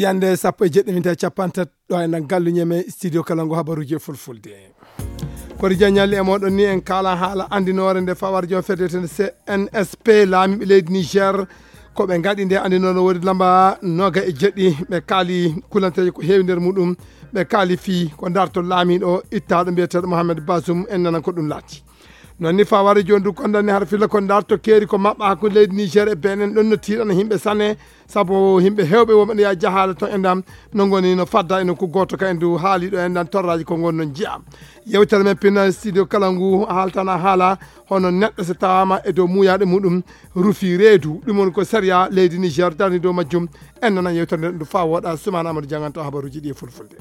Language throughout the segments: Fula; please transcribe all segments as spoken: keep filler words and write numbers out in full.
Yande sappo e jeɗɗi minti e capantato ɗo e nan galluñe men studio kala ngu habaruji e fulfulde. Kori jañalli e moɗon ni en kala haala andinoore nde fawar joom fedde ten C N S P laamiɓe leydi Niger. Ko ɓe ngaɗi nde andinoore wodi lamba noga e jeɗɗi ɓe kaali kulanteeje ko heewi nder muɗum. Ɓe kaali fii ko darto laamiɗo ittaɗo mbiyeteɗo Mohamed Bazoum en nanan ko ɗum laati. Non ni fawar joom du kondani har filla ko darto keeri ko maɓɓa hakkunde leydi Niger e Benin ɗon no tiiɗana himɓe sane. Sabu himɓe hewɓe woɓɓe ne yaa jahaale ton e ndam no ngoni no fadda e nokku gooto ka en du haali ɗo e ndan torraji ko ngon non jiya. Yewtere men pinna studio kala ngu haaltana haala hono neɗɗo so tawama e dow muuyaɗo muɗum rufi reedu ɗum woni ko sariya leydi Niger darni dow majjum. En nana yewtere nden ɗum fa woɗa Soumana Amadou Dianganto habaruji ɗi e fulfulde.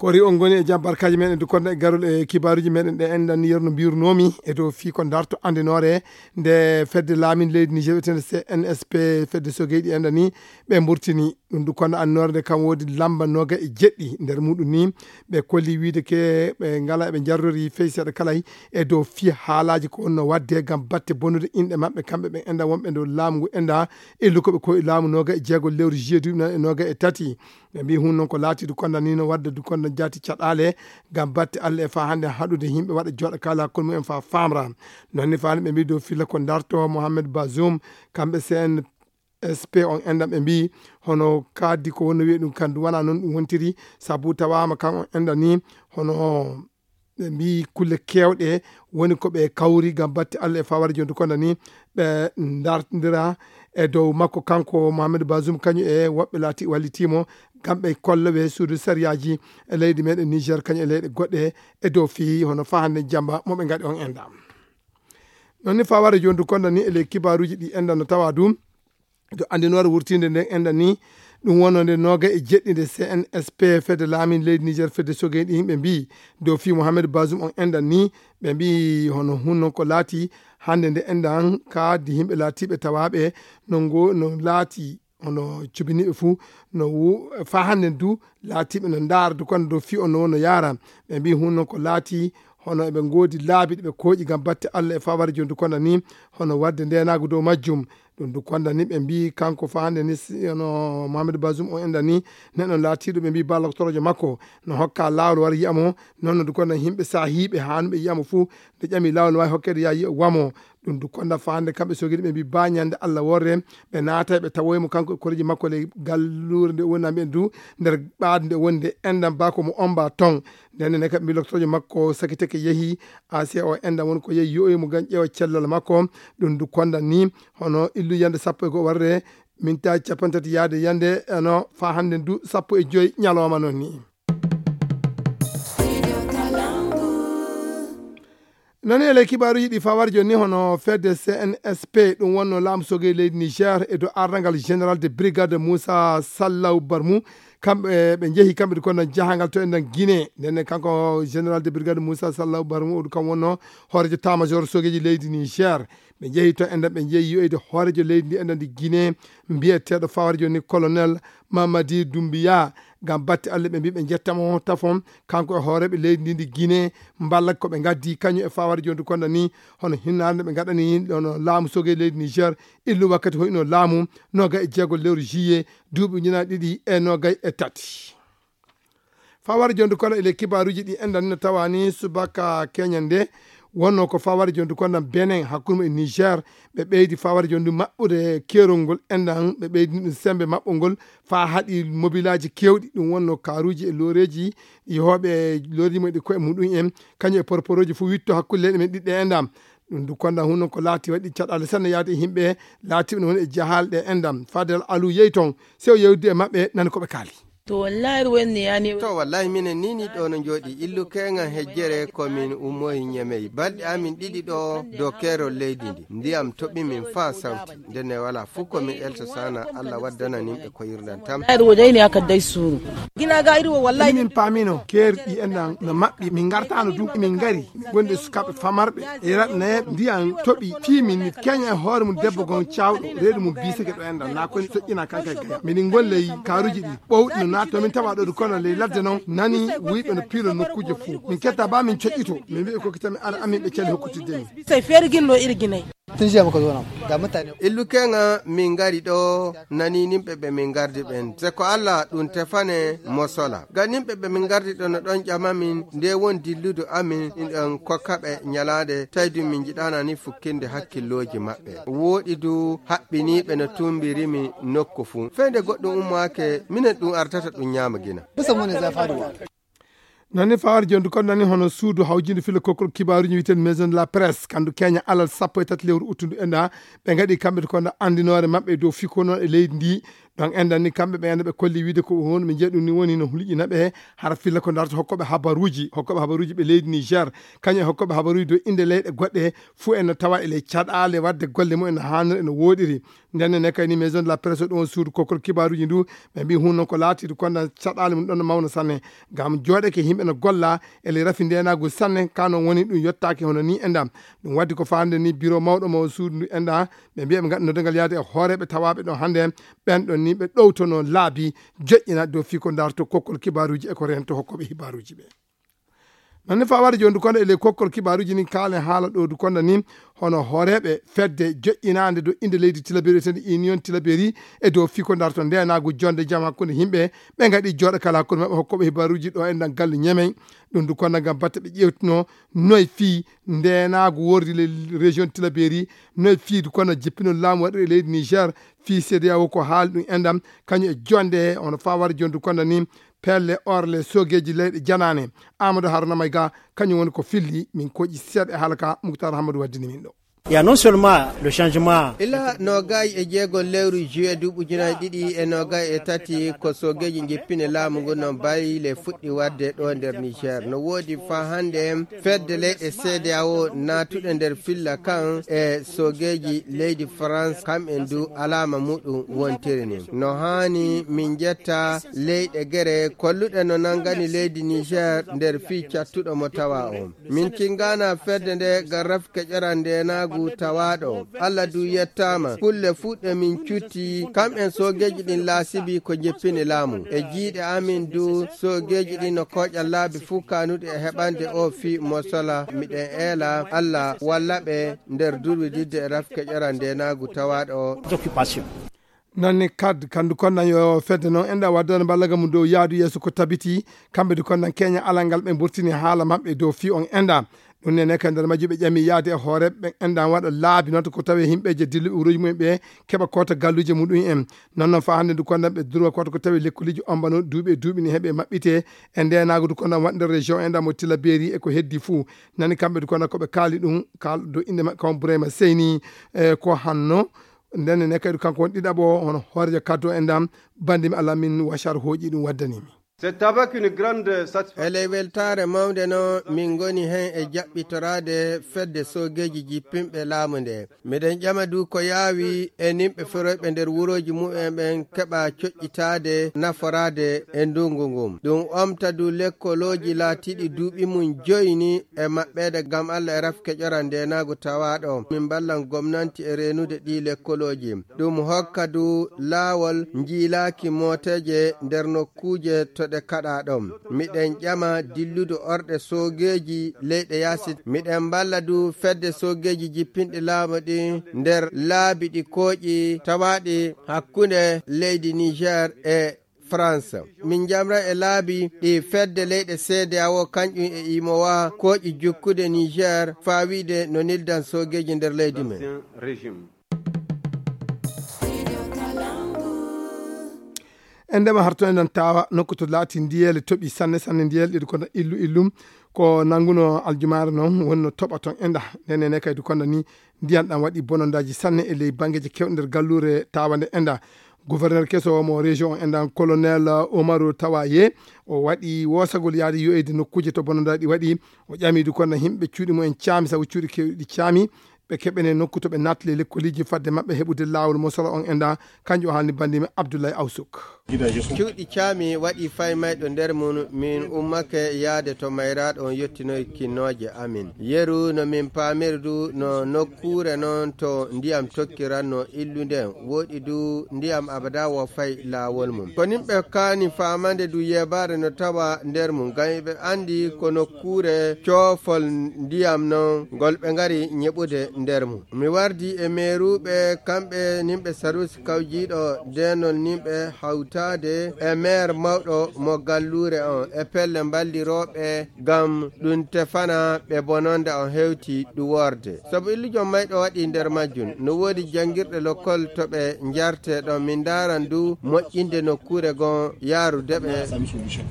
Kori on ngoni e jam barkaji meɗen du konda e garol e kibaruji meɗen ɗe enɗan ni yerno mbirnomi e dow fii ko darto andinoore nde fedde laamin leydi Niger wiyetende C N S P fedde sogeyɗi enɗan ni ɓe mburtini ɗum du konda andinoore nde kam wodi lamba noga e jeɗɗi nder muɗum ni ɓe kolli wiide ke ɓe ngala ɓe jarrori fey seeɗa kala e dow fii haalaji ko wonno wadde gam batte bonude inɗe maɓɓe kamɓe ɓe enɗan wonɓe dow laamu ngu enɗan illu ko ɓe koyi laamu noga e jeego lewru juillet duuɓi nan e noga e tati. Ɓe mbi hun noon ko laatiɗo konda ni no wadda du konda jaati caɗaale gam batte Allah e fa hannde haɗude yimɓe waɗa jooɗa kala hakkunde mumen fa famra. Noon ni faani ɓe mbi dow filla ko darto Mohamed Bazoum kamɓe C N S P on enɗan ɓe mbi hono kaddi ko wonno wiye ɗum kan du wona noon ɗum wontiri sabu tawama kan on enɗan ni hono ɓe mbi kulle kewɗe woni ko ɓe kawri gam batte Allah e fawar jondu konda ni ɓe dartidira e dow makko kanko Mohamed Bazoum kañum e woɓɓe laati wallitimo gam ɓe kolla ɓe suudu sariyaji e leydi meɗen Niger kañum e leyɗe goɗɗe e dow fii hono fa hannde jamba mo ɓe ngaɗi on enɗan. Non ni fawar jondu konda ni e ley kibaruji ɗi enɗan no tawa dum to andinoore wurtinde nden enɗan ni ɗum wonno nde noga e jeɗɗi nde C N S P fedde laamin leydi Niger fedde sogeyɗi yimɓe mbi dow fii Mohamed Bazoum on enɗan ni ɓe mbi hono hunno ko laati hannde nde enɗan kaadi yimɓe laatiɓe tawaɓe no ngo no laati hono cubiniɓe fuu no wu- fa hannde du laatiɓe no ndaara du kono dow fii on no wonno yaara ɓe mbi hunno ko laati hono eɓe ngoodi laabi ɗi ɓe kooƴi gam batte Allah e fawar jondu konda ni hono wadde ndenagu dow majjum. Ɗum du konda ni ɓe mbi kanko fa hannde ni si- hono Mohamed Bazoum o enɗan ni neɗɗo laatiɗo ɓe mbi ballokotorojo makko no hokka laawol war yiyamo noon no du konda yimɓe sahiiɓe hanuɓe yiyamo fuu nde ƴami laawol no wawi hokkede ya yiya wamo. Ɗum du konda fa hannde kamɓe sogiri ɓe mbi ba ñande Allah worre ɓe naata ɓe tawoymo kanko e koreji makko ley gallure nde woni mbiyen du nder ɓaade nde woni nde enɗan ba ko mo omba ton. Nden ne kam mbi loktojo makko sakiteke yehi A C O enɗan woni ko yehi yo'oymo gam ƴeewa cellal makko. Ɗum du konda ni hono illu yande sappo e go'o warre mintaji capantati yaade yande eno fa hannde du sappo e joyi ñalawma noon ni. Nani e ley kibaaruji ɗi fawar joni hono fedde C N S P ɗum wonno laamu sogey leydi Niger e dow ardangal général de brigade Moussa Sallaw Barmou. Kamɓe ɓe njehi kamɓe du kono jahangal to enɗan Guinée. Nden kanko général de brigade Moussa Sallaw Barmou o du kam wonno hoorejo tamajor sogeji leydi Niger. Ɓe njehi to enɗan ɓe njehi yoyde hoorejo leydi ndi enɗan ndi Guinée mbiyeteeɗo fawar joni colonel Mamadi Doumbouya. Gam batte Allah ɓe mbi ɓe jettamo tafon kanko e hooreɓe leydi ndi ndi Guinée mballa ko ɓe gaddi kañum e fawar joni du konda ni hono hinnaande ɓe gaɗani hono laamu sogey leydi Niger illu wakkati hoyno laamu noga e jeego lewru juillet duuɓi ujunaaji ɗiɗi e noga e tati. Fawar jondu kono e ley kibaaruji ɗi enɗan no tawani subaka keñan nde wonno ko fawar jondu kono Benin hakkunde e Niger ɓe ɓeydi fawar jondu maɓɓude kerol ngol enɗan ɓe ɓeydi ɗum sembe maɓɓo ngol fa haɗi mobilaji kewɗi ɗum wonno karuji e loreji yehooɓe lorimo ɗi koye muɗum en kañum e porporoji fof witto hakkunde leyɗe men ɗiɗɗe enɗan. Ɗum du konda hunno ko laati waɗi caɗaale sanne yaade e yimɓe laatiɓe no woni e jahaale ɗe enɗan fadel alu yehi toon sew yewdi e maɓɓe nani koɓe kaali. To wallahi wonni yani. To wallahi minen ni ni ɗo no jooɗi illu keŋan hejjere ko min ummoyi ñemey balɗe amin ɗiɗi ɗo dow keerol leydi ndi ndiyam toɓi min faa sawti ndenne wala fof ko min elto sana Allah waddana nimɓe ko yirdan tam. Wallahi wodayni haka day suuru. Gina ga iri wo wallahi. Min paamino keerɗi enɗan no maɓɓi min ngartano du min ngari wonde sukaaɓe famarɓe e raɗnayeɓe ndiyam toɓi fii min keña e hoore mum debbo gon cawɗo reedu mum biseke ɗo enɗan na koni soƴƴina kanka e gaya miɗen golle e karuji ɗi ɓowɗi no naatno min tawa ɗo du kono ley ladde noon nani wuyɓe no piilo nokkuje fof min ketta ba min coƴƴito min mbiɓe kokkitami ara amin ɓe cali hokkutidde min. Bisay feere ginno iri ginay. Sun jiya muka zo nan. Ga mutane. Illu keŋa min ngari ɗo nani nimɓe ɓe min ngardi ɓen. Se ko Allah ɗum tefane mo sola. Ga nimɓe ɓe min ngardi ɗo no ɗon ƴama min nde won dilludu amin in ɗon kokka ɓe ñalaande tawi ɗum min njiɗana ni fukkinde hakkillooji maɓɓe. Wooɗi du haɓɓiniiɓe no tumbiri mi nokku fuu. Fey nde goɗɗum ummaake minen ɗum artata ɗum ñaama gina. Bisa mu ne za faduwa. Nani fawar jondu kon nani hono suudu hawjindu filo kokkol kibaruji witen Maison de la Presse kandu Kenya alal sappo e tati lewru uttundu enda ɓe ngaɗi kamɓe ko nda andinore maɓɓe dow fiko noon e leydi ndi. Ɗon endan ni kamɓe ɓe enda ɓe kolli wiide ko won ɓe jeeɗum ni woni no hulƴina ɓe hara filla ko darto hokkoɓe habaruji hokkoɓe habaruji ɓe leydi Niger kañum e hokkoɓe habaruji dow inde leyɗe goɗɗe. Fuu en no tawa e ley caɗaale wadde golle mum en no hanir eno woɗiri. Nden ne kay ni Maison de la Presse ɗon suudu kokkol kibaruji ndu ɓe mbi hun noon ko laatiɗo konda caɗaale mum ɗon no mawna sanne. Ngam jooɗeke yimɓe no golla e ley rafi ndenagu sanne ka noon woni ɗum yottaaki hono ni e ndam. Ɗum waddi ko faande ni biro mawɗo mo suudu ndu e nda ɓe mbiya ɓe ngaɗa noddagal yaade e hooreɓe tawaɓe ɗo hande ɓen ɗon ni ɓe ɗowtono laabi joƴƴina dow fii ko darto kokkol kibaruji e ko rento hokkoɓe hibaruji ɓe. Nonne fa wari joni dukonda e ley kokkol kibaruji ni kaalen haala ɗo dukonda ni hono hooreɓe fedde joƴƴinande dow inde leydi tilaberi wiyetende Union Tilaberi e dow fii ko darto ndenagu jonde jam hakkunde yimɓe ɓe ngaɗi jooɗo kala hakkunde maɓɓe hokkoɓe hibaruji ɗo e ndan gallu ñemey. Ɗum dukonda ngam batte ɓe ƴewtuno noy fii ndenagu wordi le région Tilaberi noy fii dukonda jippinol laamu waɗiri e leydi Niger. Fii C D A O ko haali ɗum e ndam kañum e jonde he hono fa wari joni dukonda ni pelle orle sogeji leyɗe janane. Amadou Haruna Mayga kañum woni ko filli min koƴi seeɗa e haala ka Moutar Hamadou waddini min ɗo. Il y a non seulement le changement. Ila nogay e jeego lewru juillet duuɓi ujunaaji ɗiɗi e nogay e tati ko sogeji jippine laamu ngu no bayle fuɗɗi wadde ɗo nder Niger no woodi fa hande fedde leyɗe C D A O naatuɗe nder filla kan e sogeji leydi France kam en du alaama muɗum wontiri ni no haani min jetta leyɗe gere kolluɗe no nangani leydi Niger nder fii cattuɗo mo tawa o. Min kingana fedde nde ngam rafke ƴoran ndenaagu tawaaɗo. Allah du yettaama. Kulle fuu ɗe min cutti, kam'en soogeeji ɗin laasibi ko njeppini laamu. E jiiɗe amin du, soogeeji ɗin no kooƴa laabi fuu kaanuɗi e heɓande oo fii mosola. Miɗen eela Allah walla ɓe nder durwididde e rafke ƴoran ndenaagu tawaaɗo. Occupation. Nanni kad kandu konnan yo fedde noon enɗa waddano ballaga mum dow yaadu yeeso ko tabiti kamɓe du konnan keña alal ngal ɓe mburtini haala maɓɓe dow fii on enɗa. Ɗum nene kadi nder majji ɓe ƴami yaade e hoore ɓe enɗa waɗa laabi noon ko tawi himɓeje dilluɓe wuroji mumen ɓe keɓa kota galluje muɗum en. Noon noon fa hannde du konnan ɓe durwa kota ko tawi lekkoliji ombano duuɓi e duuɓi ni heɓe maɓɓite e ndenago du konnan waɗ nder région enɗa mo tila beeri e ko heddi fuu. Nani kamɓe du konnan koɓe kaali ɗum kal dow inde maɓɓe kam Bourayma Seyni. E ko hanno Nden ne kadi kanko woni ɗiɗaɓo hono hoorejo kaddo en ɗam bandi mi Allah min washar hooƴi ɗum waddani mi. C'est avec une grande satisfaction. Eley weltaare mawnde no min ngoni heen e jaɓɓitoraade fedde soogeeji jippinɓe laamu nde. Miɗen ƴama du ko yaawi e nimɓe feroyɓe nder wurooji mumen ɓen keɓa coƴƴitaade naforaade e ndungu ngun. Ɗum omta du lekkolooji laatiiɗi duuɓi mum joyni e maɓɓeede ngam Allah e rafke ƴoran ndeenaagu tawaaɗo. Min mballan gomnanti e reenude ɗii lekkolooji. Ɗum hokka du laawol njiilaaki mooteeje nder nokkuuje to ɗe kaɗaa ɗon. Miɗen ƴama dilludu orɗe soogeeji leyɗe yaasi. Miɗen mballa du fedde soogeeji jippinɗi laamu ɗi nder laabi ɗi kooƴi tawaaɗi hakkunde leydi Niger e France. Min njamra e laabi ɗi fedde leyɗe C D A O kañƴum e imowa kooƴi jukkude Niger faa wiide no nildan soogeeji nder leydi men. En ndema harto enen tawa nokku to laati ndiyele toɓi sanne sanne ndiyele ɗiɗi kono illu illum ko nanguno aljumaare noon wonno toɓa toon enda nden ene kaydi kono ni ndiyan ɗan waɗi bonondaji sanne e ley bangeje kewɗe nder gallure tawa nde enda. Gouverneur keso mo région o endan colonel Omaru Tawaye o waɗi wosagol yaade yo'eyde nokkuje to bonondaji ɗi waɗi. O ƴamidu kono himɓe cuuɗi mumen caami sabu cuuɗi kewɗi caami ɓe keɓene nokku to ɓe nattile lekkoliji fadde maɓɓe heɓude lawol mo solo on enda. Kanjum o haalni bandimi Abdoulaye Awsuk. Cuuɗi caami waɗi faymayɗo nder mum min ummake yaade to mayraaɗo on yettinoy kinnooje amin. Yeru no min paamiri du no nokkuure non to ndiyam tokkiranno illude woɗi du ndiyam abada wo fay laawol mum. Ko nin ɓe kaani faamande du yeebaare no tawa nder mum ngam ɓe andi ko nokkuure coofol ndiyam non ngol ɓe ngari ñeɓude. nder mum. Mi wardi e meeruɓe, kamɓe nimɓe sarusi kawjiiɗo deenol nimɓe hawtaade e meer mawɗo mo galluure on e pelle mballirooɓe ngam ɗum tefana ɓe bononda on hewti ɗum worde. Sabu illujo mayɗo waɗi nder majjum, no woodi janngirɗe lokkol to ɓe njarte ɗon. Min ndaaran du moƴƴinde nokkuure gon yaarude ɓe.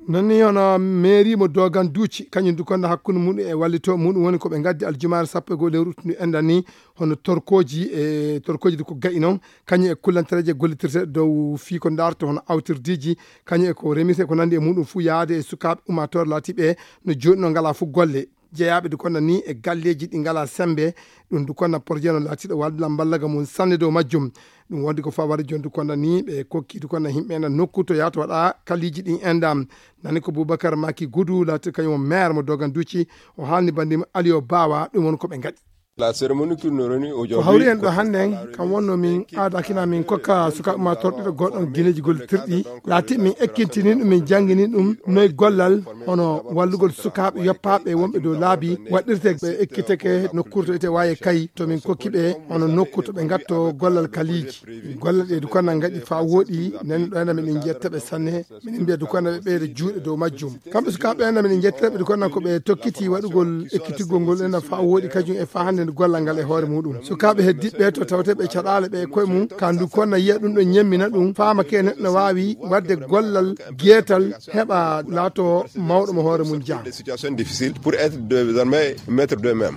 Non ni hono mairie mo Dogan Duuci, kañum du konda hakkunde muɗum e wallito muɗum woni ko ɓe ngaddi aljumaare sappo e goo lewru ndu enɗan ni, hono torkooji e torkooji du ko ga'i non, kañum e kullantereeje gollitirteeɗe dow fii ko ndaarto hono awtirdiiji, kañum e ko remirte ko nandi e muɗum fuu yaade e sukaaɓe ummaatoore laatiiɓe no jooni no ngalaa fuu golle. Jeyaaɓe du konda ni e galleeji ɗi ngalaa sembe, ɗum du konda projet no laatiiɗo walla mballaga mum sanne dow majjum. Ɗum wondi ko fawari jooni du konda ni ɓe kokki du konda yimɓe ena nokku to yahata waɗa kaliiji ɗin enɗan. Nani ko Boubacar Maki Goudou laati kañum o maire mo Dogan Duuci, o haalni banndi mo Aliou Bawa, ɗum woni ko ɓe ngaɗi. La cérémonie qui nous réunit aujourd'hui, ko hawri en ɗo hannden, kam wonno min aadakina min kokka sukaaɓe ma torɗiɗo goɗɗon gineeji gollitirɗi, laati min ekkintini ɗum, min janngini ɗum noy gollal hono wallugol sukaaɓe yoppaaɓe wonɓe dow laabi waɗirte ɓe ekkiteke nokkuure to ete waawi kay to min kokki ɓe hono nokku to ɓe ngatto gollal kaliiji. Gollal ɗe du konda ngaɗi faa wooɗi, nen ɗo ena min jetta ɓe sanne, min mbiya du konda ɓe ɓeyda juuɗe dow majjum. Kamɓe sukaaɓe ena min jetta ɓe du konda ko ɓe tokkiti waɗugol ekkitigol ngol ena faa wooɗi kañum e faa hannde nde gollal ngal e hoore muɗum. Sukaaɓe heddiɓe to tawte ɓe caɗaale ɓe e koye mum, ka ndu konda yiya ɗum ɗo ñemmina ɗum, faama ke neɗɗo no waawi waɗde gollal geetal heɓa laato mawɗo mo hoore mum jaa. Des situations difficiles pour être désormais maître d'eux-mêmes.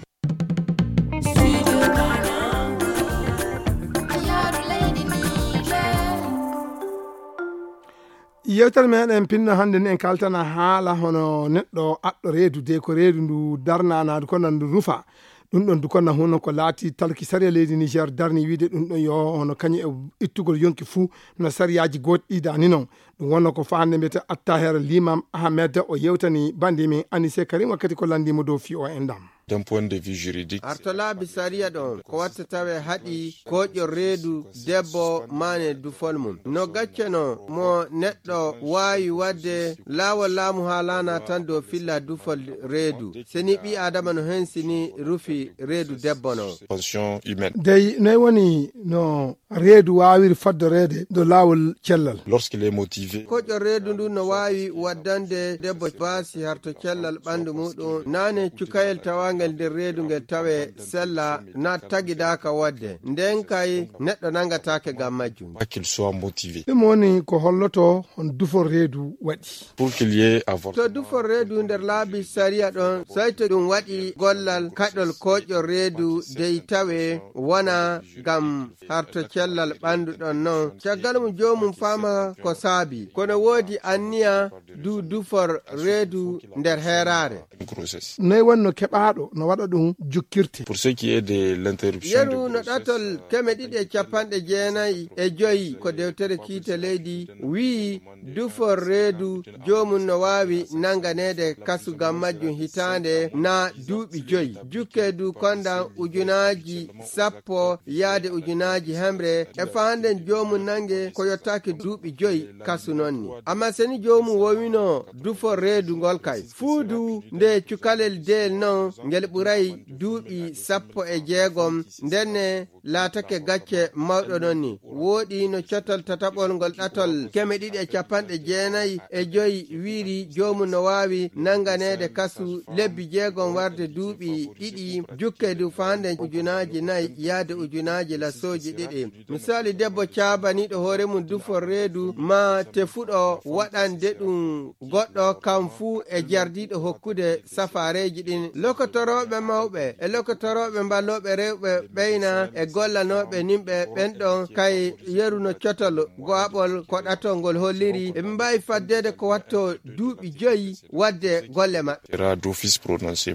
Yewtere meɗen pinno hannde ni en kaltana haala hono neɗɗo aɗɗo reedu de ko reedu ndu darnanaadu ko nan ndu rufa. Ɗum ɗon du ko na huno ko laati talki sariya leydi Niger darni wiide ɗum ɗon yo hono kañum e ittugol yonki fuu no sariyaaji gootɗi dani non. Ɗum wonno ko faande mbiyete Attaher Limam Ahmed o yewtani bandi min Anise Karim wakkati ko landi mo dow fi o en dam. D'un point de vue juridique. Arto laabi sariya ɗon ko watta tawe haɗi koƴo reedu debbo maane dufol mum. No gacceno mo neɗɗo waawi waɗde laawol laamu haa laana tan dow filla dufol reedu. Seni ɓii Aadama no hensini rufi reedu debbo non. Pension humaine. Dey noy woni no reedu waawiri faddoreede dow laawol cellal. Lorsqu'il est motivé. Koƴo reedu ndu no waawi waddande debbo baasi harto cellal ɓanndu muɗum. Naane cukayel tawangel nder reedu ngel tawe sella na tagidaaka waɗde. Nden kay neɗɗo nangataake ngam majjum. Pas qu'il soit motivé. Ɗum woni ko holloto hon dufol reedu waɗi. Pour qu'il y ait avortement. To dufol reedu nder laabi sariya ɗon, soy to ɗum waɗi gollal kaɗol koƴol reedu dey tawe wona ngam harto cellal ɓanndu ɗon non. Caggal mum joomum faama ko saabi. Kono woodi anniya du dufol reedu nder heeraare. Grossesse. Noy wonno keɓaaɗo no waɗa ɗum jukkirte? Pour ce qui est de l'interruption de grossesse. Yeru no ɗatol keme ɗiɗi e capanɗe jeenayi e joyi ko dewtere kiite leydi wi'i dufol reedu joomum no waawi nanganeede kasu ngam majjum hitaande na duuɓi joyi. Jukke du kondan ujunaaji sappo yaade ujunaaji hemre e faanden joomum nange ko yottaaki duuɓi joyi kasu non ni. Amma seni joomum wowino dufol reedu ngol kay. Fuu du nde cukalel deyel non ngel ɓuray duuɓi sappo e jeegom ndenne laatake gacce mawɗo non ni. Wooɗi no cotol tataɓol ngol ɗatol keme ɗiɗi e capanɗe jeenayi e joyi wiiri joomum no waawi nanganeede kasu lebbi jeegom warde duuɓi ɗiɗi jukke du faande ujunaaji nayi yaade ujunaaji lasooji ɗiɗi. Misali debbo caabaniiɗo hoore mum dufol reedu ma tefuɗo waɗande ɗum goɗɗo kam fuu e jardiiɗo hokkude safaareeji ɗin. Lokotorooɓe mawɓe e lokotorooɓe mballooɓe rewɓe ɓeyna e gollanooɓe nimɓe ɓen ɗon kay yeru no cotol go'aɓol ko ɗatol ngol holliri eɓe mbaawi faddeede ko watto duuɓi joyi waɗde golle maɓɓe. Sera d'office prononcé.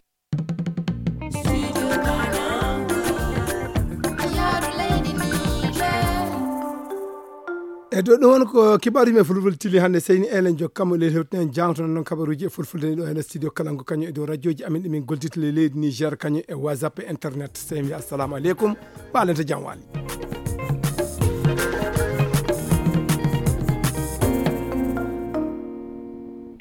E dow ɗum won ko kibaaruuji men fulfulde tili hannde seyni enen jokkamo ley hewtinen jangtono noon kabaruuji e fulfulde ni ɗo heen e studio kalango kañum e dow radioji amin ɗi min goldita ley leydi Niger kañum e WhatsApp e internet. Sey mi assalamu aleykum, ɓaalente jam waali.